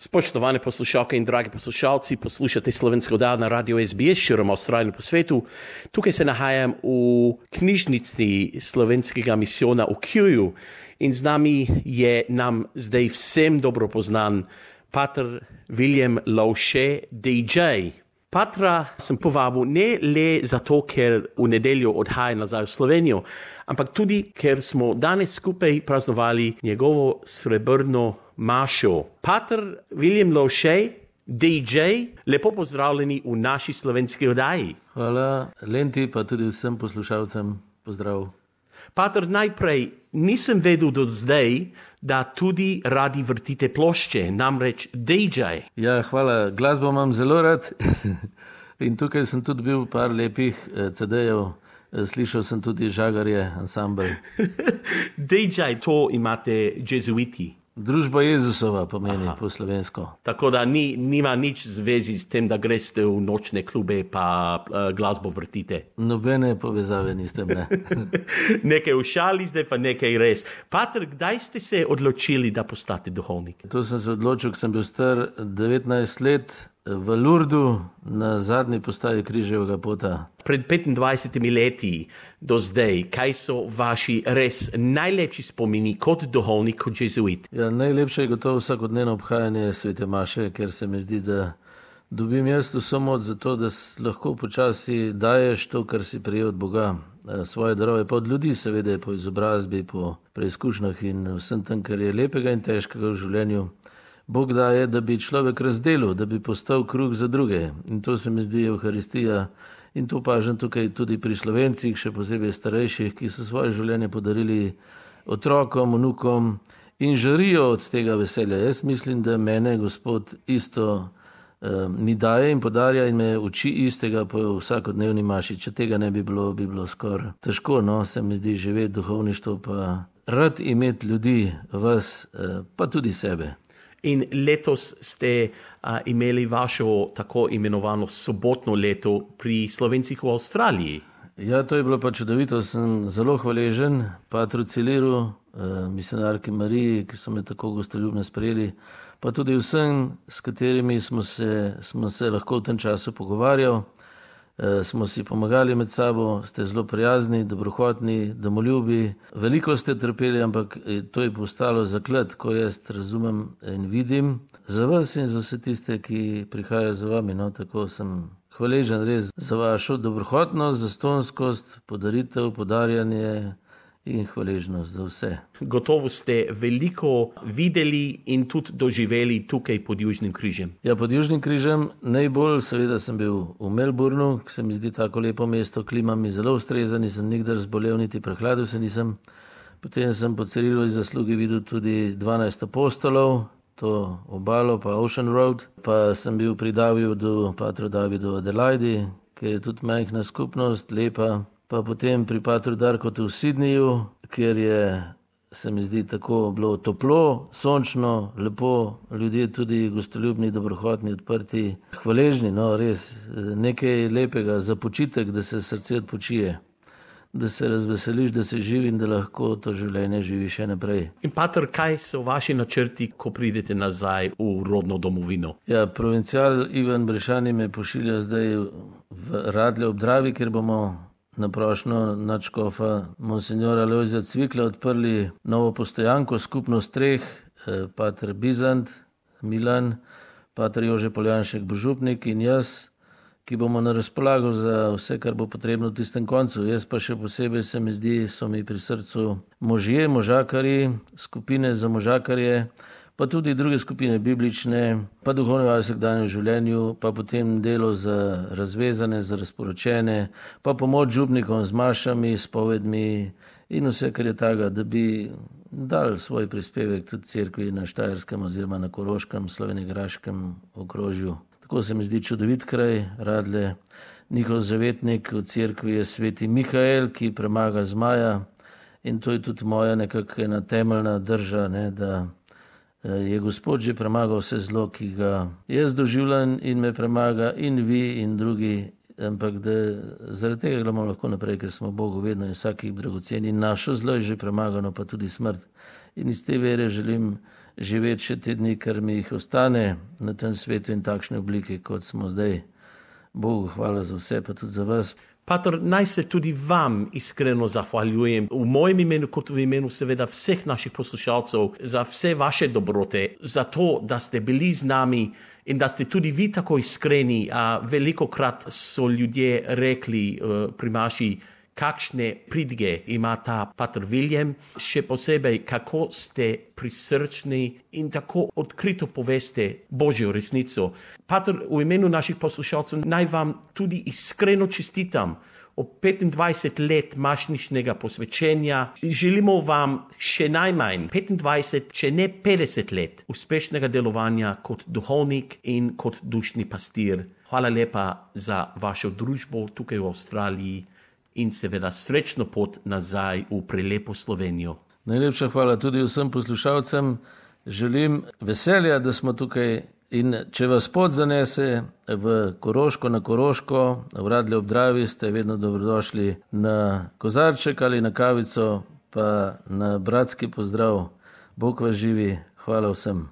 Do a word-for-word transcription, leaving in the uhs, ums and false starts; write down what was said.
Spoštovane poslušalke in dragi poslušalci, poslušate slovensko oddajo na Radio S B S širom Avstralije po svetu. Tukaj se nahajam v knjižnici slovenskega misijona v Kewu in z nami je nam zdaj vsem dobro poznan pater William Lauche, D J. Patra sem povabil ne le zato, ker v nedeljo odhaja nazaj v Slovenijo, ampak tudi, ker smo danes skupaj praznovali njegovo srebrno mašo. Pater William Lauche, D J, lepo pozdravljeni v naši slovenski oddaji. Hvala, Lenti, pa tudi vsem poslušalcem pozdrav. Pater, najprej nisem vedel do zdaj, da tudi radi vrtite plošče, namreč D J. Ja, hvala, glasbo imam zelo rad in tukaj sem tudi bil par lepih C D-jev, slišal sem tudi Žagarje, ansambel. D J, to imate jezuiti. Družba Jezusova pomeni Aha. po slovensko. Tako da ni, nima nič zvezi s tem, da greste v nočne klube pa uh, glasbo vrtite. Nobene povezave niste, ne. Nekaj v šali, zdaj pa nekaj res. Pater, kdaj ste se odločili, da postate duhovnik? To sem se odločil, ko sem bil star devetnajst let v Lurdu na zadnji postaji Križevega pota. Pred petindvajsetimi leti do zdaj, kaj so vaši res najlepši spomini kot duhovnik, kot jezuit? Ja, najlepše je gotovo vsakodnevno obhajanje svete maše, ker se mi zdi, da dobim jaz vso moč za to, da lahko počasi daješ to, kar si prejel od Boga, svoje darove, pa od ljudi seveda, po izobrazbi, po preizkušnjah in vsem tem, kar je lepega in težkega v življenju. Bog daje, da bi človek razdelil, da bi postal kruh za druge. In to se mi zdi Evharistija. In to opažam tukaj tudi pri Slovencih, še posebej starejših, ki so svoje življenje podarili otrokom, vnukom in žarijo od tega veselja. Jaz mislim, da mene Gospod isto eh, mi daje in podarja in me uči istega po vsakodnevni maši. Če tega ne bi bilo, bi bilo skoraj težko, no, se mi zdi živeti duhovništvo, pa rad imeti ljudi, vas, eh, pa tudi sebe. In letos ste a, imeli vašo tako imenovano sobotno leto pri Slovencih v Avstraliji. Ja, to je bilo pa čudovito. Sem zelo hvaležen Patru Ciliru, eh, misionarki Mariji, ki so me tako gostoljubno sprejeli, pa tudi vsem, s katerimi smo se, smo se lahko v tem času pogovarjali. E, smo si pomagali med sabo, ste zelo prijazni, dobrohotni, domoljubi. Veliko ste trpeli, ampak to je postalo zaklad, ko jaz razumem in vidim za vas in za vse tiste, ki prihajajo za vami. No, tako sem hvaležen res za vašo dobrohotnost, zastonskost, podaritev, podarjanje in hvaležnost za vse. Gotovo ste veliko videli in tudi doživeli tukaj pod Južnim križem. Ja, pod Južnim križem najbolj seveda sem bil v Melbourneu, ki se mi zdi tako lepo mesto, klima mi zelo ustreza, nisem nikdar zbolel, niti prehladil se nisem. Potem sem po Cirilovi zaslugi videl tudi dvanajst apostolov, to obalo pa Ocean Road, pa sem bil pri Davidu, patru Davidu Adelaidi, ker je tudi majhna skupnost, lepa. Pa potem pri patru Darkotu v Sydneyju, kjer je, se mi zdi, tako bilo toplo, sončno, lepo, ljudje tudi gostoljubni, dobrohotni, odprti, hvaležni, no res, nekaj lepega za počitek, da se srce odpočije, da se razveseliš, da se živi in da lahko to življenje živi še naprej. In pater, kaj so vaši načrti, ko pridete nazaj v rodno domovino? Ja, provincial Ivan Brešani me pošilja zdaj v Radlje ob Dravi, kjer bomo na prošnjo nadškofa monsignora Lojzija Cvikla odprli novo postojanko, skupnost treh, pater Bizant, Milan, pater Jože Poljanšek Božupnik in jaz, ki bomo na razpolago za vse, kar bo potrebno v tistem koncu. Jaz pa še posebej se mi zdi, so mi pri srcu možje, možakarji, skupine za možakarje, pa tudi druge skupine biblične, pa duhovne v vsakdanjem življenju, pa potem delo za razvezane, za razporočene, pa pomoč župnikom z mašami, s povedmi in vse, kar je taga, da bi dal svoj prispevek tudi cerkvi na Štajerskem oziroma na Koroškem, slovenjegraškem okrožju. Tako se mi zdi čudovit kraj, Radlje. Njihov zavetnik v cerkvi je sveti Mihael, ki premaga zmaja in to je tudi moja nekako ena temeljna drža, ne, da je Gospod že premagal vse zlo, ki ga jaz doživljam in me premaga in vi in drugi, ampak da zaradi tega gledamo lahko naprej, ker smo Bogu vedno in vsakih dragoceni in našo zlo je že premagano, pa tudi smrt. In iz te vere želim živeti še te dni, ker mi jih ostane na tem svetu in takšne oblike, kot smo zdaj. Bogu hvala za vse, pa tudi za vas. Pater, naj se tudi vam iskreno zahvaljujem v mojem imenu, kot v imenu seveda vseh naših poslušalcev, za vse vaše dobrote, za to, da ste bili z nami in da ste tudi vi tako iskreni. A velikokrat so ljudje rekli uh, pri maši, kakšne pridige ima ta Pater William, še posebej, kako ste prisrčni in tako odkrito poveste Božjo resnico. Pater, v imenu naših poslušalcev naj vam tudi iskreno čestitam ob petindvajset let mašničnega posvečenja. Želimo vam še najmanj petindvajset, če ne petdeset let uspešnega delovanja kot duhovnik in kot dušni pastir. Hvala lepa za vašo družbo tukaj v Avstraliji in seveda srečno pot nazaj v prelepo Slovenijo. Najlepša hvala tudi vsem poslušalcem. Želim veselja, da smo tukaj, in če vas pot zanese v Koroško, na Koroško, v Radlje ob Dravi, ste vedno dobrodošli na kozarček ali na kavico, pa na bratski pozdrav. Bog vas živi. Hvala vsem.